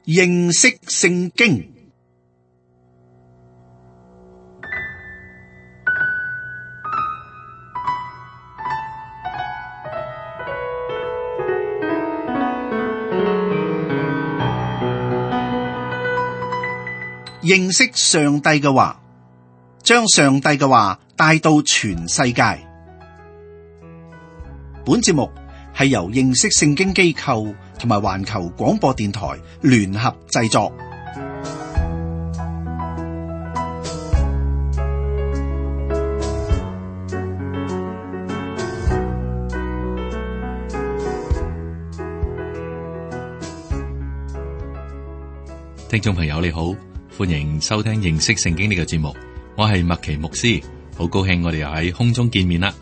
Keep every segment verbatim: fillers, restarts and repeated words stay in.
認識聖經。認識上帝嘅話，將上帝嘅話帶到全世界。本節目係由認識聖經機構同埋環球廣播電台聯合製作。聽眾朋友你好，歡迎收聽認識聖經呢個節目，我係麥奇牧師，好高興我哋又喺空中見面啦。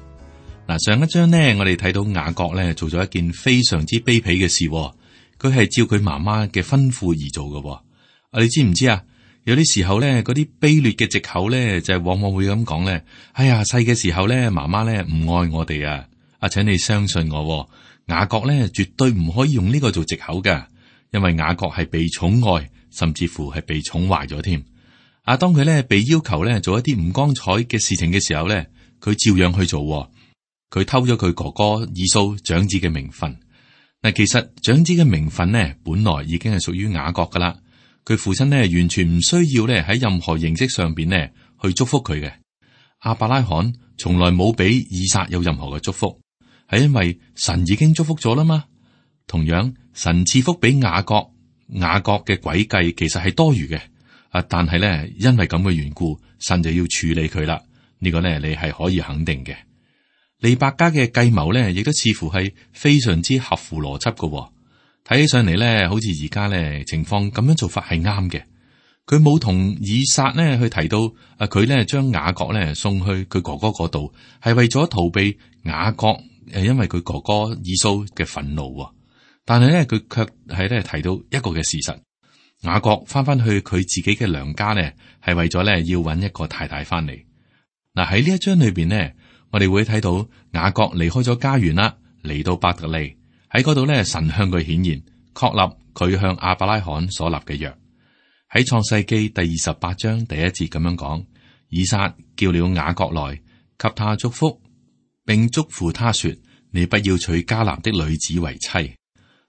嗱，上一章呢，我哋睇到雅各咧做咗一件非常之卑鄙嘅事，佢係照佢媽媽嘅吩咐而做嘅。啊，你知唔知啊？有啲時候咧，嗰啲卑劣嘅藉口咧，就係往往會咁講咧。哎呀，細嘅時候咧，媽媽咧唔愛我哋啊！啊，請你相信我，雅各咧絕對唔可以用呢個做藉口㗎，因為雅各係被寵愛，甚至乎係被寵壞咗添。啊，當佢咧被要求咧做一啲唔光彩嘅事情嘅時候咧，佢照樣去做。佢偷咗佢哥哥以掃長子嘅名分。嗱，其實長子嘅名分呢，本來已經係屬於雅各噶啦。佢父親呢，完全唔需要咧喺任何形式上邊呢去祝福佢嘅。亞伯拉罕從來冇俾以撒有任何嘅祝福，係因為神已經祝福咗啦嘛。同樣，神賜福俾雅各，雅各嘅詭計其實係多餘嘅。啊，但係咧，因為咁嘅緣故，神就要處理佢啦。呢個呢，你係可以肯定嘅。利百加嘅計謀咧，亦都似乎係非常之合乎邏輯嘅。睇起上嚟咧，好似而家咧情況咁樣做法係啱嘅。佢冇同以撒呢去提到啊，佢咧將雅各咧送去佢哥哥嗰度，係為咗逃避雅各誒，因為佢哥哥以掃嘅憤怒。但係咧，佢卻係咧提到一個嘅事實：雅各翻翻去佢自己嘅娘家咧，係為咗咧要揾一個太太翻嚟。嗱，喺呢一章裏邊呢，我哋會睇到雅各離開咗家園啦，嚟到伯特利，喺嗰度咧，神向佢顯現，確立佢向亞伯拉罕所立嘅約。喺創世記第二十八章第一節咁樣講：以撒叫了雅各來，給他祝福，並囑咐他說：你不要娶迦南的女子為妻。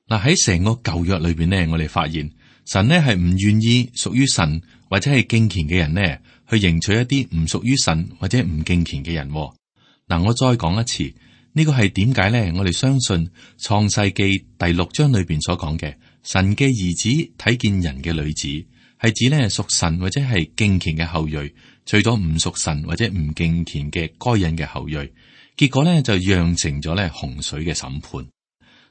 嗱，喺成個舊約裏邊呢，我哋發現神呢係唔願意屬於神或者係敬虔嘅人呢去迎娶一啲唔屬於神或者唔敬虔嘅人。嗱，我再講一次，呢個係點解咧？我哋相信創世記第六章裏邊所講嘅神嘅兒子睇見人嘅女子，係指咧屬神或者係敬虔嘅後裔，除咗唔屬神或者唔敬虔嘅該隱嘅後裔，結果咧就釀成咗咧洪水嘅審判。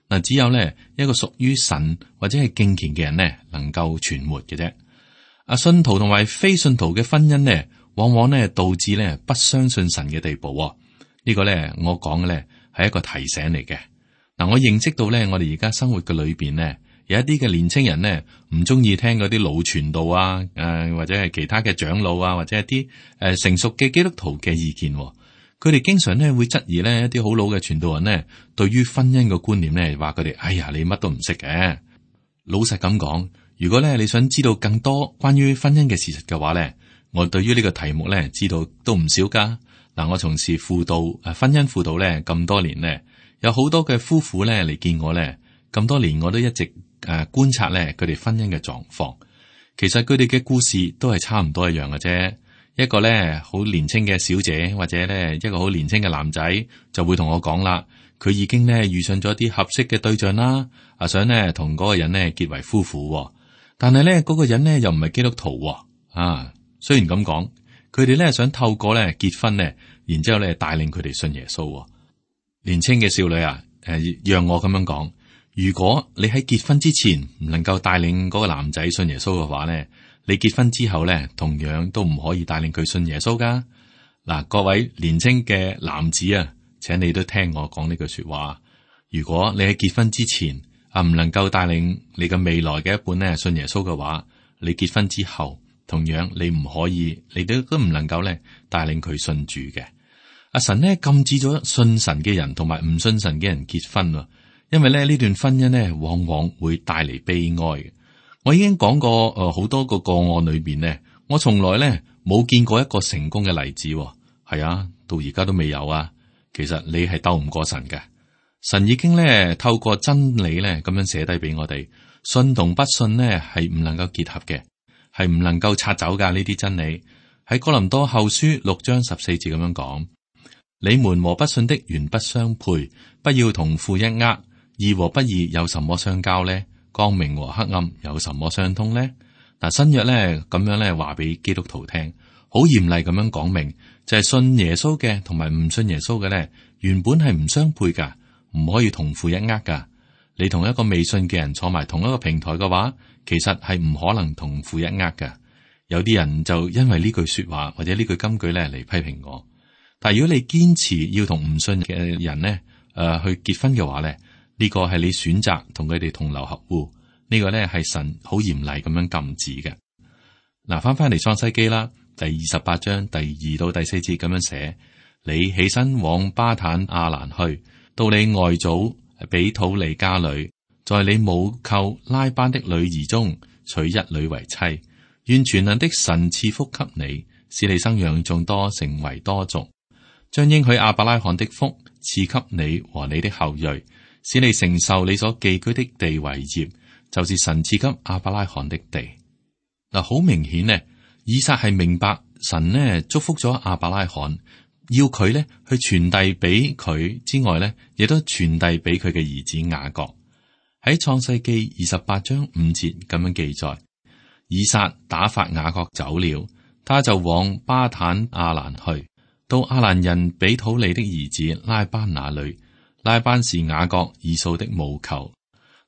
嗱，只有咧一個屬於神或者係敬虔嘅人咧，能夠存活嘅啫。啊，信徒同埋非信徒嘅婚姻咧，往往咧導致咧不相信神嘅地步。呢個咧，我講嘅咧係一個提醒嚟嘅。嗱，我認識到咧，我哋而家生活嘅裏邊咧，有一啲嘅年青人咧唔中意聽嗰啲老傳道啊，誒、呃、或者係其他嘅長老啊，或者一啲誒、呃、成熟嘅基督徒嘅意見。佢哋經常咧會質疑咧一啲好老嘅傳道人咧，對於婚姻嘅觀念咧，話佢哋哎呀，你乜都唔識嘅。老實咁講，如果咧你想知道更多關於婚姻嘅事實嘅話咧，我對於呢個題目咧知道都唔少噶。嗱，我從事輔導誒婚姻輔導咧咁多年咧，有好多嘅夫婦咧嚟見我咧，咁多年我都一直誒觀察咧佢哋婚姻嘅狀況。其實佢哋嘅故事都係差唔多一樣嘅啫。一個咧好年輕嘅小姐，或者咧一個好年輕嘅男仔，就會同我講啦，佢已經咧遇上咗啲合適嘅對象啦，啊想咧同嗰個人咧結為夫婦，但係咧嗰個人咧又唔係基督徒啊。雖然咁講。佢哋咧想透過咧結婚咧，然之後咧帶領佢哋信耶穌。年輕嘅少女啊，誒，讓我咁樣講，如果你喺結婚之前唔能夠帶領嗰個男仔信耶穌嘅話咧，你結婚之後咧，同樣都唔可以帶領佢信耶穌噶。嗱，各位年輕嘅男子啊，請你都聽我講呢句說話。如果你喺結婚之前啊唔能夠帶領你嘅未來嘅一半咧信耶穌嘅話，你結婚之後。同樣你唔可以，你都都唔能夠咧帶領佢信主嘅。阿神咧禁止咗信神嘅人同埋唔信神嘅人結婚，因為咧呢段婚姻咧往往會帶嚟悲哀嘅。我已經講過誒，好、呃、多個個案裏邊呢，我從來咧冇見過一個成功嘅例子。係啊，到而家都未有啊。其實你係鬥唔過神嘅，神已經咧透過真理咧咁樣寫低俾我哋，信同不信呢係唔能夠結合嘅，係唔能夠拆走噶呢啲真理。喺哥林多後書六章十四節咁樣講：你們和不信的原不相配，不要同負一軛。義和不義有什麼相交呢？光明和黑暗有什麼相通呢？嗱，新約咧咁樣咧話俾基督徒聽，好嚴厲咁樣講明，就係、是、信耶穌嘅同埋唔信耶穌嘅咧，原本係唔相配噶，唔可以同負一軛噶。你同一個未信嘅人坐埋同一個平台嘅話，其實係唔可能同負一軛噶。有啲人就因為呢句說話或者呢句金句咧嚟批評我。但係如果你堅持要同唔信嘅人呢誒、呃、去結婚嘅話咧，呢個係你選擇同佢哋同流合污，呢、這個咧係神好嚴厲咁樣禁止嘅。嗱，翻翻嚟創世記啦，第二十八章第二到第四節咁樣寫：你起身往巴坦亞蘭去，到你外祖比土利家裏，在你母舅拉班的女兒中娶一女為妻。願全能的神賜福給你，使你生養眾多，成為多族，將應許亞伯拉罕的福賜給你和你的後裔，使你承受你所寄居的地為業，就是神賜給亞伯拉罕的地。嗱，好明顯呢，以撒係明白神呢祝福咗亞伯拉罕，要佢咧去傳遞俾佢之外咧，亦都傳遞俾佢嘅兒子雅各。喺創世記二十八章五節咁樣記載。以撒打發雅各走了，他就往巴坦亞蘭去，到亞蘭人比土利的兒子拉班那裏。拉班是雅各以掃的母舅。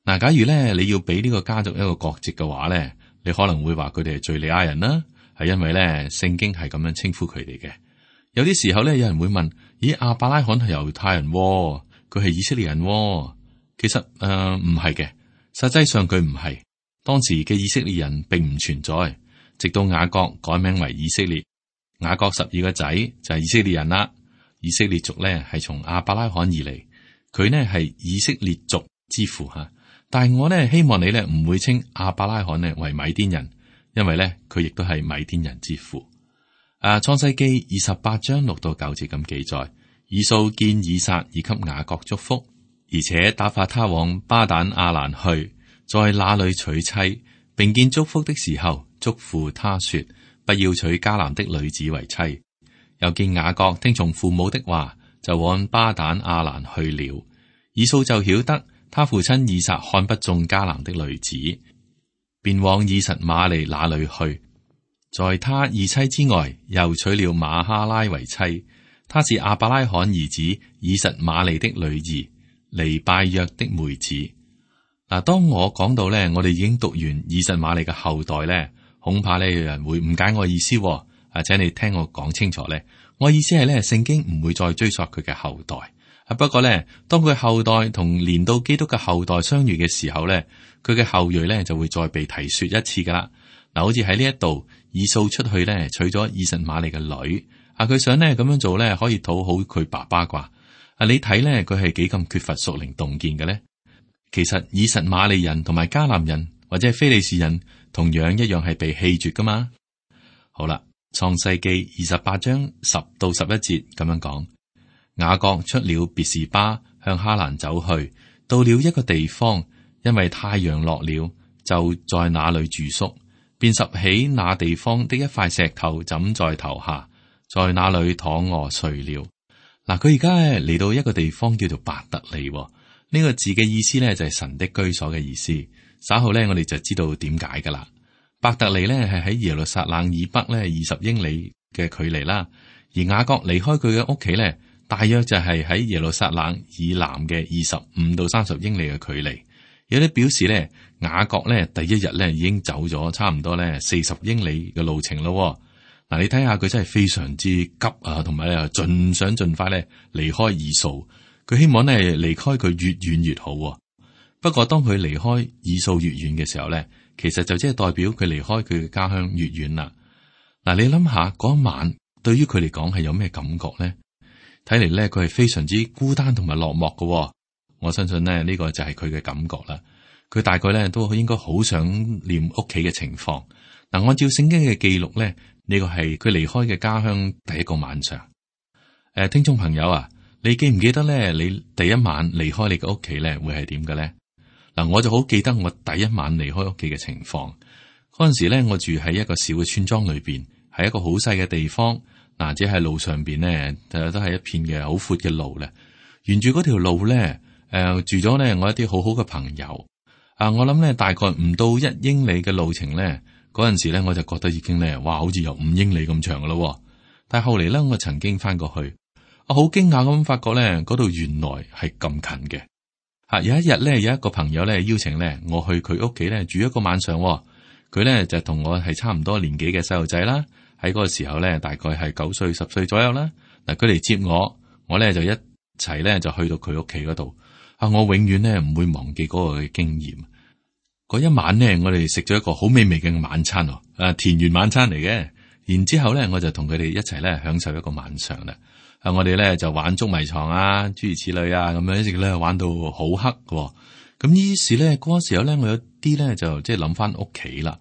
嗱，假如咧你要俾呢個家族一個國籍嘅話咧，你可能會話佢哋係敘利亞人啦，係因為咧聖經係咁樣稱呼佢哋嘅。有啲時候咧，有人會問：咦，亞伯拉罕係猶太人，佢係以色列人？其實誒唔係嘅，實際上佢唔係。當時嘅以色列人並唔存在，直到雅各改名為以色列。雅各十二個仔就係以色列人啦。以色列族咧係從亞伯拉罕而嚟，佢呢係以色列族之父吓。但係我呢希望你呢唔會稱亞伯拉罕呢為米甸人，因為咧佢亦都係米甸人之父。啊，創世記二十八章六到九節咁記載：以掃見以撒已給雅各祝福，而且打發他往巴旦亞蘭去。在那裏娶妻，並見祝福的時候，囑咐他說：不要娶迦南的女子為妻。又見雅各聽從父母的話，就往巴旦亞蘭去了。以掃就曉得他父親以撒看不中迦南的女子，便往以實瑪利那裏去。在他二妻之外，又娶了瑪哈拉為妻。她是亞伯拉罕兒子以實瑪利的女兒，尼拜約的妹子。嗱，當我講到咧，我哋已經讀完以實瑪利嘅後代咧，恐怕咧有人會誤解我意思。啊，請你聽我講清楚咧，我意思係咧，聖經唔會再追溯佢嘅後代。啊，不過咧，當佢後代同連到基督嘅後代相遇嘅時候咧，佢嘅後裔咧就會再被提說一次噶啦。嗱，好似喺呢一度，以掃出去咧娶咗以實瑪利嘅女，啊，佢想咧咁樣做咧可以討好佢爸爸啩。啊，你睇咧佢係幾咁缺乏屬靈洞見嘅咧？其實以實瑪利人同埋迦南人或者係非利士人同樣一樣係被棄絕噶嘛。好啦，創世記二十八章十到十一節咁樣講：雅各出了別是巴，向哈蘭走去，到了一個地方，因為太陽落了，就在那裏住宿，便拾起那地方的一塊石頭枕在頭下，在那裏躺臥睡了。嗱，佢而家嚟到一個地方叫做伯特利。呢個字嘅意思咧就係神的居所嘅意思。稍後咧我哋就知道點解噶啦。伯特利咧係喺耶路撒冷以北咧二十英里嘅距離啦，而雅各離開佢嘅屋企咧，大約就係喺耶路撒冷以南嘅二十五到三十英里嘅距離。有啲表示咧，雅各咧第一日咧已經走咗差唔多咧四十英里嘅路程咯。嗱，你睇下佢真係非常之急啊，同埋咧盡想盡快咧離開以掃。佢希望咧離開佢越遠越好。不過當佢離開以掃越遠嘅時候咧，其實就即係代表佢離開佢嘅家鄉越遠啦。嗱，你諗下嗰晚對於佢嚟講係有咩感覺咧？睇嚟咧佢係非常之孤單同埋落寞嘅。我相信咧呢個就係佢嘅感覺啦。佢大概咧都應該好想念屋企嘅情況。嗱，按照聖經嘅記錄咧，呢個係佢離開嘅家鄉第一個晚上。誒，聽眾朋友啊，你記唔記得咧？你第一晚離開你嘅屋企咧，會係點嘅咧？嗱，我就好記得我第一晚離開屋企嘅情況。嗰陣時咧，我住喺一個小嘅村莊裏邊，係一個好細嘅地方。嗱，只係路上邊咧，誒，都係一片嘅好闊嘅路咧。沿住嗰條路咧，誒，住咗咧我一啲好好嘅朋友。啊，我諗咧大概唔到一英里嘅路程咧，嗰陣時咧我就覺得已經咧，哇，好似有五英里咁長噶咯。但係後嚟咧，我曾經翻過去，我好驚訝咁發覺咧，嗰度原來係咁近嘅。吓，有一日咧，有一個朋友咧邀請咧我去佢屋企咧住一個晚上。佢咧就同我係差唔多年紀嘅細路仔啦。喺嗰個時候咧，大概係九歲、十歲左右啦。嗱，佢嚟接我，我咧就一齊咧就去到佢屋企嗰度。啊，我永遠咧唔會忘記嗰個嘅經驗。嗰一晚咧，我哋食咗一個好美味嘅晚餐哦，誒，田園晚餐嚟嘅。然之後咧，我就同佢哋一齊咧享受一個晚上啦。啊，我哋咧就玩捉迷藏啊，諸如此類啊，咁樣一直咧玩到好黑嘅。咁於是咧，嗰個時候咧，我有啲咧就即係諗翻屋企啦。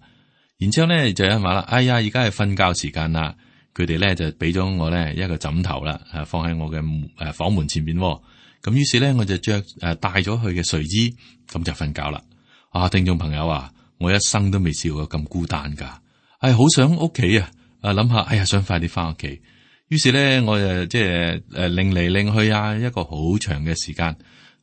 然之後咧就有人話啦，哎呀，而家係瞓覺時間啦。佢哋咧就俾咗我咧一個枕頭啦，啊，放喺我嘅誒房門前邊。咁於是咧我就着誒帶咗佢嘅睡衣，咁就瞓覺啦。啊，聽眾朋友啊，我一生都未試過咁孤單噶，係好想屋企啊！啊，諗下，哎呀，想快啲翻屋企。於是咧，我就即係誒擰嚟擰去啊，一個好長嘅時間。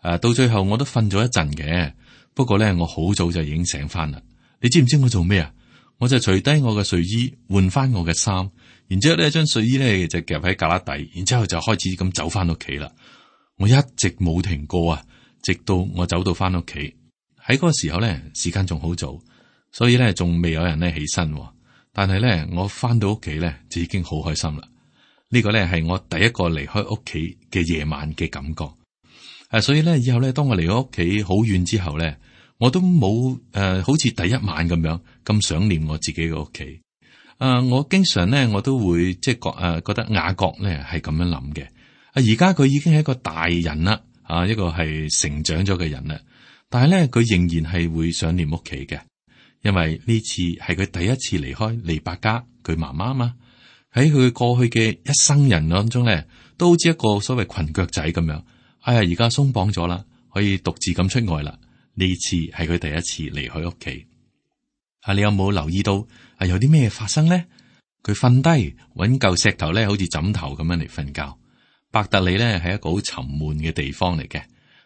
誒，到最後我都瞓咗一陣嘅。不過咧，我好早就已經醒翻啦。你知唔知我做咩啊？我就除低我嘅睡衣，換翻我嘅衫，然之後咧將睡衣咧就夾喺旮旯底，然之後就開始咁走翻屋企啦。我一直冇停過啊，直到我走到翻屋企。喺嗰個時候咧，時間仲好早，所以咧仲未有人咧起身。但係咧，我翻到屋企咧就已經好開心啦。呢個咧係我第一個離開屋企嘅夜晚嘅感覺。誒，所以咧以後咧，當我離開屋企好遠之後咧，我都冇誒、呃，好似第一晚咁樣咁想念我自己嘅屋企。誒、呃，我經常咧我都會即係覺誒、呃，覺得雅各咧係咁樣諗嘅。啊，而家佢已經係一個大人啦，啊，一個係成長咗嘅人啦。但係咧，佢仍然係會想念屋企嘅，因為呢次係佢第一次離開利百加佢媽媽嘛。喺佢過去嘅一生人當中咧，都好似一個所謂裙腳仔咁樣。哎呀，而家鬆綁咗啦，可以獨自咁出外啦。呢次係佢第一次離開屋企。啊，你有冇留意到啊？有啲咩發生咧？佢瞓低搵嚿石頭咧，好似枕頭咁樣嚟瞓覺。伯特利咧係一個好沉悶嘅地方嚟嘅，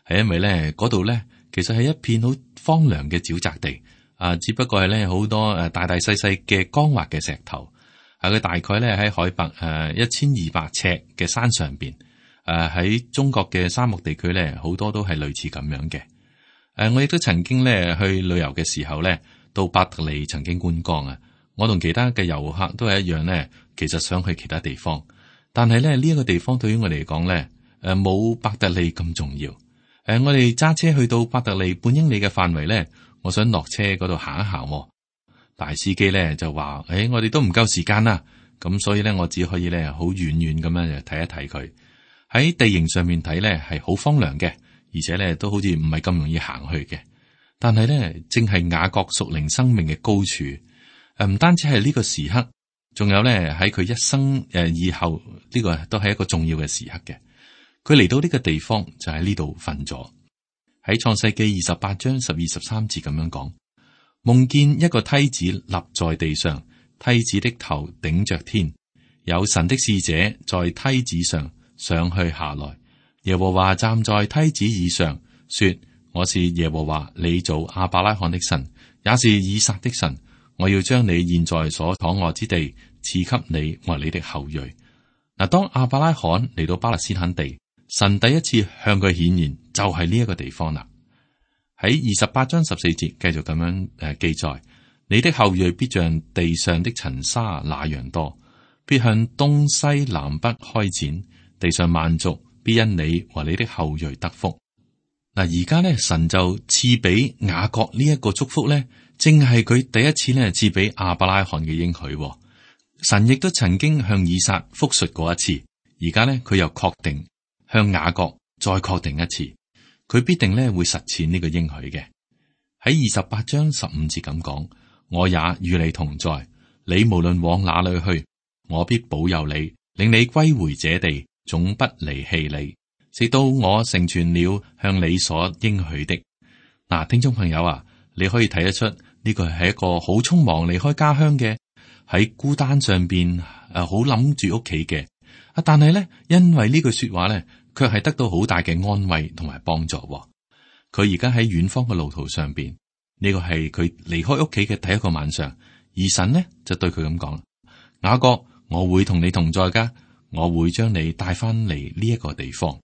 係因為咧嗰度咧其實係一片好荒涼嘅沼澤地。啊，只不過係咧好多誒大大細細嘅光滑嘅石頭。啊，佢大概咧喺海拔誒一千二百尺嘅山上邊。誒喺中國嘅沙漠地區咧，好多都係類似咁樣嘅。誒，我亦都曾經咧去旅遊嘅時候咧，到伯特利曾經觀光啊。我同其他嘅遊客都係一樣咧，其實想去其他地方，但係咧呢一個地方對於我嚟講咧，誒冇伯特利咁重要。誒，我哋揸車去到伯特利半英里嘅範圍咧，我想落車嗰度行一行。大司機咧就話：誒，我哋都唔夠時間啦，咁所以咧我只可以咧好遠遠咁樣睇一睇佢。喺地形上面睇咧係好荒涼嘅，而且咧都好似唔係咁容易行去嘅。但係咧正係雅各屬靈生命嘅高處，誒唔單止係呢個時刻，仲有咧喺佢一生誒以後呢個都係一個重要嘅時刻嘅。佢嚟到呢個地方就喺呢度瞓咗。喺創世記二十八章十二十三節咁樣講，夢見一個梯子立在地上，梯子的頭頂着天，有神的使者在梯子上上去下來。耶和華站在梯子以上，說：我是耶和華你祖亞伯拉罕的神，也是以撒的神。我要將你現在所躺臥之地賜給你和你的後裔。嗱，當亞伯拉罕嚟到巴勒斯坦地，神第一次向佢顯現就係呢一個地方啦。喺二十八章十四節繼續咁樣誒記載：你的後裔必像地上的塵沙那樣多，必向東西南北開展。地上萬族必因你和你的後裔得福。嗱，而家咧神就賜俾雅各呢一個祝福咧，正係佢第一次咧賜俾亞伯拉罕嘅應許。神亦都曾經向以撒復述過一次，而家咧佢又確定向雅各再確定一次，佢必定咧會實踐呢個應許嘅。喺二十八章十五節咁講，我也與你同在，你無論往哪裏去，我必保佑你，令你歸回這地，總不離棄你，直到我成全了向你所應許的。嗱、啊，聽眾朋友啊，你可以睇得出呢個係一個好匆忙離開家鄉嘅，喺孤單上邊誒，好諗住屋企嘅。啊，但係咧，因為呢句說話咧，卻係得到好大嘅安慰同埋幫助。佢而家喺遠方嘅路途上邊，呢個係佢離開屋企嘅第一個晚上。而神呢就對佢咁講：雅各，我會同你同在噶，我會將你帶翻嚟呢一個地方。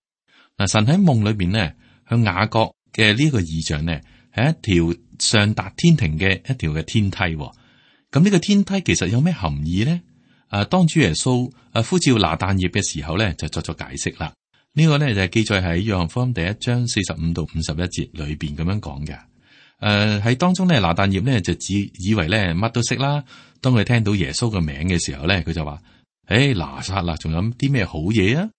嗱，神喺夢裏邊呢，向雅各嘅呢一個異象呢，係一條上達天庭嘅一條嘅天梯。咁呢個天梯其實有咩含義呢？啊，當主耶穌啊呼召拿但業嘅時候咧，就作咗解釋啦。呢個咧就係記載喺約翰福音第一章四十五到五十一節裏邊咁樣講嘅。誒、呃，喺當中咧，拿但業咧就只以為咧乜都識啦。當佢聽到耶穌嘅名嘅時候咧，佢就話：誒、欸，拿撒勒仲有啲咩好嘢啊？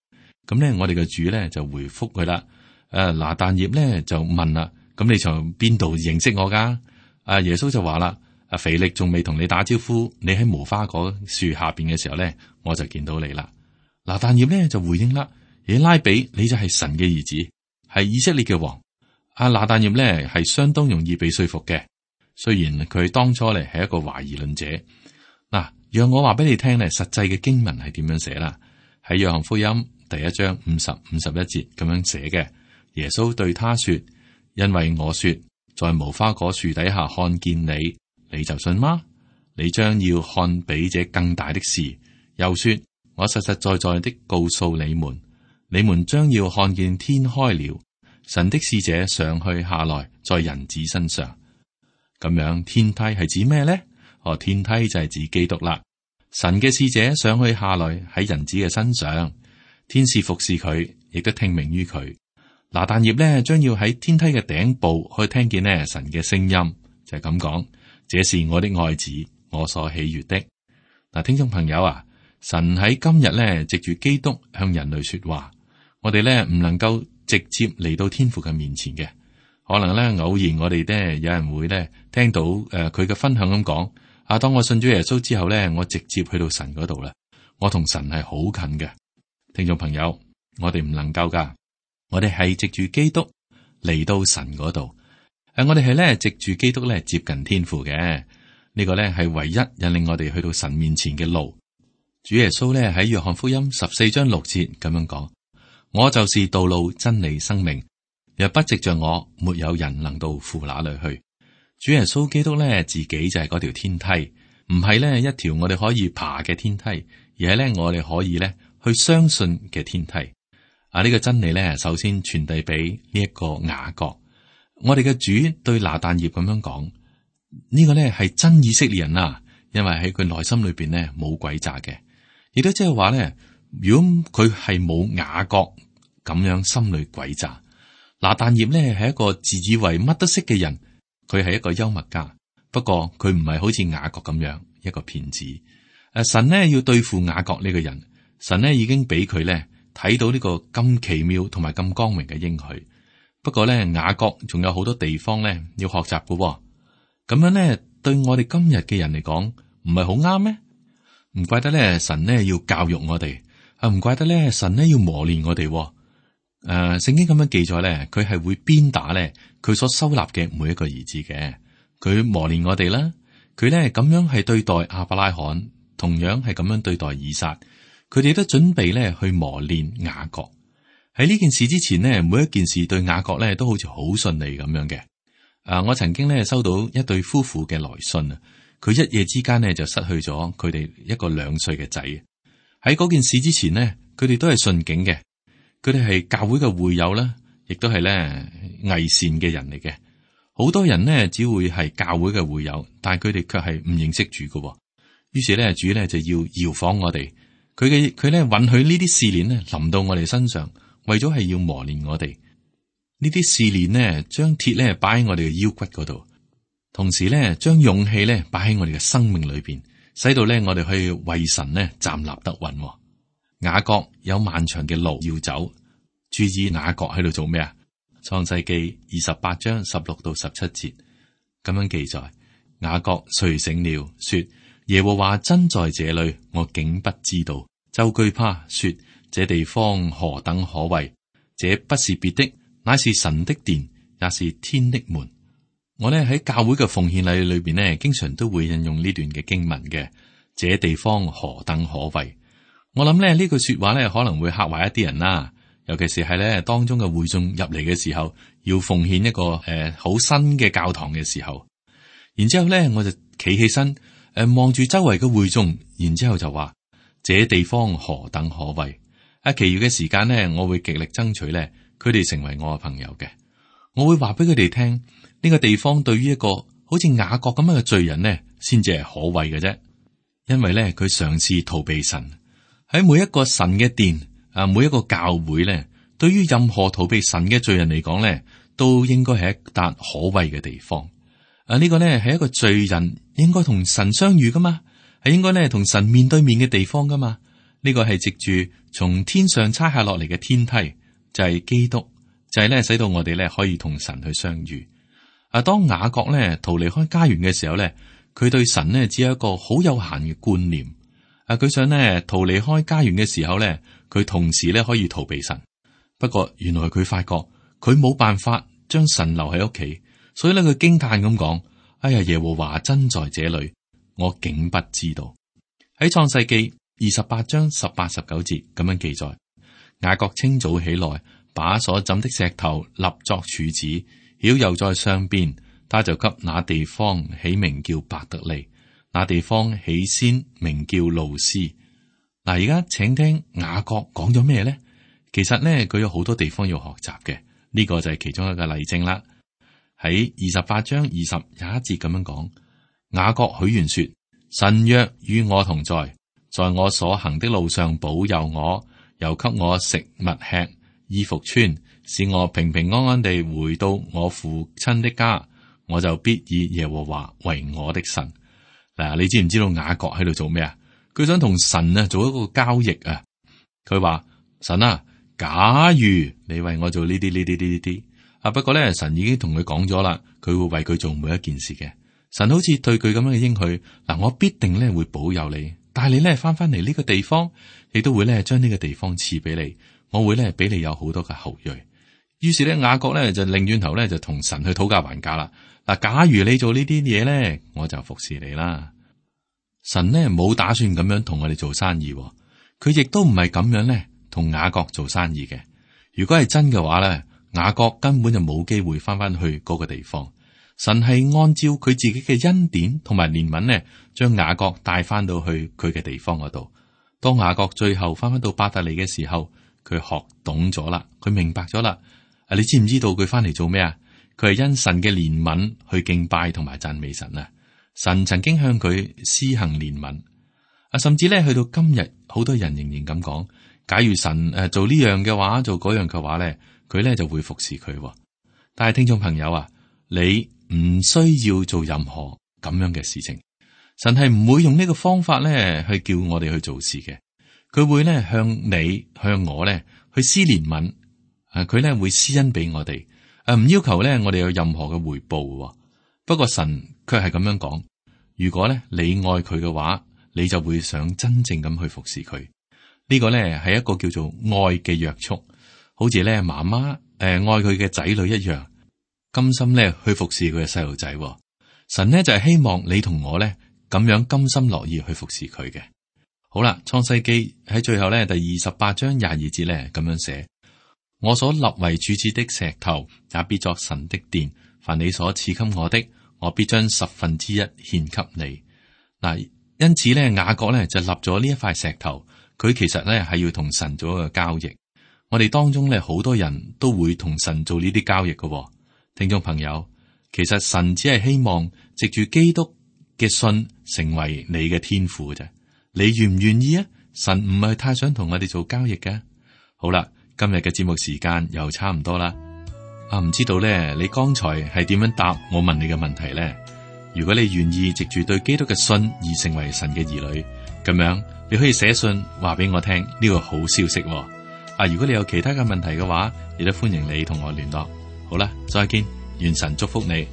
咁咧，我哋嘅主咧就回覆佢啦。誒，拿但業咧就問啦：咁你從邊度認識我噶？啊，耶穌就話啦。阿腓力仲未同你打招呼，你喺無花果樹下邊嘅時候咧，我就見到你啦。拿但業咧就回應啦：耶拉比，你就係神嘅兒子，係以色列嘅王。阿拿但業咧係相當容易被說服嘅，雖然佢當初咧係一個懷疑論者。嗱，讓我話俾你聽咧，實際嘅經文係點樣寫啦？喺約翰福音第一章五十五十一節咁樣寫嘅。耶穌對他說：因為我說在無花果樹底下看見你。你就信嗎？你將要看比這更大的事。又說：我實實在在的告訴你們，你們將要看見天開了，神的使者上去下來，在人子身上。咁樣天梯係指咩呢？哦，天梯就係指基督啦。神嘅使者上去下來喺人子嘅身上，天使服侍佢，亦都聽命於佢。拿但業呢，將要喺天梯嘅頂部去聽見呢神嘅聲音，就係咁講。這是我的愛子，我所喜悅的。嗱，聽眾朋友啊，神喺今日咧，藉住基督向人類說話，我哋咧唔能夠直接嚟到天父嘅面前嘅，可能咧偶然我哋咧有人會咧聽到誒佢嘅分享咁講，啊，當我信咗耶穌之後咧，我直接去到神嗰度啦，我同神係好近嘅。聽眾朋友，我哋唔能夠噶，我哋係藉住基督嚟到神嗰度。誒，我哋係咧藉住基督咧接近天父嘅，呢個咧係唯一引領我哋去到神面前嘅路。主耶穌咧喺約翰福音十四章六節咁樣講：我就是道路、真理、生命，若不藉着我，沒有人能到父那裏去。主耶穌基督咧自己就係嗰條天梯，唔係咧一條我哋可以爬嘅天梯，而係咧我哋可以咧去相信嘅天梯。啊，呢個真理咧首先傳遞俾呢一個雅各。我哋嘅主對拿但業咁樣講，呢個咧係真以色列人啊，因為喺佢內心裏邊咧冇詭詐嘅，亦都即係話咧，如果佢係冇雅各咁樣心裏詭詐，拿但業咧係一個自以為乜都識嘅人，佢係一個幽默家，不過佢唔係好似雅各咁樣一個騙子。誒，神呢要對付雅各呢個人，神呢已經俾佢咧睇到呢個咁奇妙同埋咁光榮嘅應許。不過咧，雅各仲有好多地方咧要學習嘅、哦，咁樣咧對我哋今日嘅人嚟講，唔係好啱咩？唔怪得咧，神咧要教育我哋，啊唔怪得咧，神咧要磨練我哋、哦。誒、呃，聖經咁樣記載咧，佢係會鞭打咧佢所收納嘅每一個兒子嘅，佢磨練我哋啦。佢咧咁樣係對待亞伯拉罕，同樣係咁樣對待以撒，佢哋都準備咧去磨練雅各。喺呢件事之前呢，每一件事對雅各咧都好似好順利咁樣嘅。啊，我曾經咧收到一對夫婦嘅來信啊，佢一夜之間呢就失去咗佢哋一個兩歲嘅仔。喺嗰件事之前呢，佢哋都係順境嘅，佢哋係教會嘅會友啦，亦都係咧偽善嘅人嚟嘅。好多人呢只會係教會嘅會友，但係佢哋卻係唔認識主嘅。於是咧主咧就要搖晃我哋，佢嘅佢咧允許呢啲試煉咧臨到我哋身上。為咗係要磨練我哋，呢啲試煉呢，將鐵咧擺喺我哋嘅腰骨嗰度，同時咧將勇氣咧擺喺我哋嘅生命裏邊，使到咧我哋去為神咧站立得穩。雅各有漫長嘅路要走，注意雅各喺度做咩啊？創世記二十八章十六到十七節，咁樣記載。雅各睡醒了，說：耶和華真在這裏，我竟不知道。就懼怕，說：這地方何等可畏！這不是別的，乃是神的殿，也是天的門。我呢喺教會嘅奉獻禮裏邊呢，經常都會引用呢段嘅經文嘅。這地方何等可畏！我諗咧呢句說話咧可能會嚇壞一啲人啦，尤其是係咧當中嘅會眾入嚟嘅時候，要奉獻一個誒好、呃、新嘅教堂嘅時候。然之後咧我就企起身，誒望住周圍嘅會眾，然之後就話：這地方何等可畏！啊，其餘嘅時間呢，我會極力爭取咧，佢哋成為我嘅朋友嘅。我會話俾佢哋聽，呢、這個地方對於一個好似雅各咁樣嘅罪人呢，先至係可畏嘅啫。因為咧佢嘗試逃避神，喺每一個神嘅殿啊，每一個教會咧，對於任何逃避神嘅罪人嚟講咧，都應該係一笪可畏嘅地方。啊，呢個咧係一個罪人應該同神相遇噶嘛，係應該咧同神面對面嘅地方噶嘛。呢個係藉住從天上差下落嚟嘅天梯，就係基督，就係咧使到我哋咧可以同神去相遇。啊，當雅各咧逃離開家園嘅時候咧，佢對神呢只有一個好有限嘅觀念。啊，佢想呢逃離開家園嘅時候咧，佢同時咧可以逃避神。不過原來佢發覺佢冇辦法將神留喺屋企，所以咧佢驚嘆咁講：哎呀，耶和華真在這裏，我竟不知道。喺創世記二十八章十八十九節咁樣記載：雅各清早起來，把所枕的石頭立作柱子，澆油在上邊。他就給那地方起名叫伯特利，那地方起先名叫路斯。嗱，而家請聽雅各講咗咩咧？其實咧，佢有好多地方要學習嘅，呢、這個就係其中一個例證啦。喺二十八章二十廿一節咁樣講，雅各許願說：神若與我同在，在我所行的路上保佑我，又給我食物吃，衣服穿，使我平平安安地回到我父親的家。我就必以耶和華為我的神。嗱，你知唔知道雅各喺度做咩啊？佢想同神啊做一個交易啊。佢話：神啊，假如你為我做呢啲呢啲呢啲啊，不過咧神已經同佢講咗啦，佢會為佢做每一件事嘅。神好似對佢咁樣嘅應許，嗱，我必定咧會保佑你，帶你咧翻翻嚟呢個地方，亦都會咧將呢個地方賜俾你，我會咧俾你有好多嘅後裔。於是咧雅各咧就擰轉頭咧就同神去討價還價啦。嗱，假如你做呢啲嘢咧，我就服侍你啦。神呢冇打算咁樣同我哋做生意，佢亦都唔係咁樣咧同雅各做生意嘅。如果係真嘅話咧，雅各根本就冇機會翻翻去嗰個地方。神係按照佢自己嘅恩典同埋憐憫咧，將雅各帶翻到去佢嘅地方嗰度。當雅各最後翻翻到伯特利嘅時候，佢學懂咗啦，佢明白咗啦。啊，你知唔知道佢翻嚟做咩啊？佢係因神嘅憐憫去敬拜同埋讚美神啊！神曾經向佢施行憐憫啊，甚至咧去到今日，好多人仍然咁講：假如神誒做呢樣嘅話，做嗰樣嘅話咧，佢咧就會服侍佢。但係聽眾朋友啊，你唔需要做任何咁樣嘅事情，神係唔會用呢個方法咧去叫我哋去做事嘅。佢會咧向你向我咧去施憐憫啊，佢咧會施恩俾我哋。誒，唔要求咧，我哋有任何嘅回報。不過神卻係咁樣講：如果咧你愛佢嘅話，你就會想真正咁去服侍佢。呢個咧係一個叫做愛嘅約束，好似咧媽媽誒愛佢嘅仔女一樣，甘心咧去服侍佢嘅細路仔。神呢就係希望你同我咧咁樣甘心樂意去服侍佢嘅。好啦，創世記喺最後咧第二十八章廿二節咧咁樣寫。我所立為柱子的石頭，也必作神的殿。凡你所賜給我的，我必將十分之一獻給你。嗱，因此咧，雅各咧就立咗呢一塊石頭。佢其實咧係要同神做一個交易。我哋當中咧好多人都會同神做呢啲交易嘅。聽眾朋友，其實神只係希望藉住基督嘅信成為你嘅天父嘅啫。你願唔願意啊？神唔係太想同我哋做交易嘅。好啦。今日嘅節目時間又差唔多啦，啊，唔知道咧，你剛才係點樣答我問你嘅問題咧？如果你願意藉住對基督嘅信而成為神嘅兒女，咁樣你可以寫信話俾我聽呢個好消息。啊，如果你有其他嘅問題嘅話，亦都歡迎你同我聯絡。好啦，再見，願神祝福你。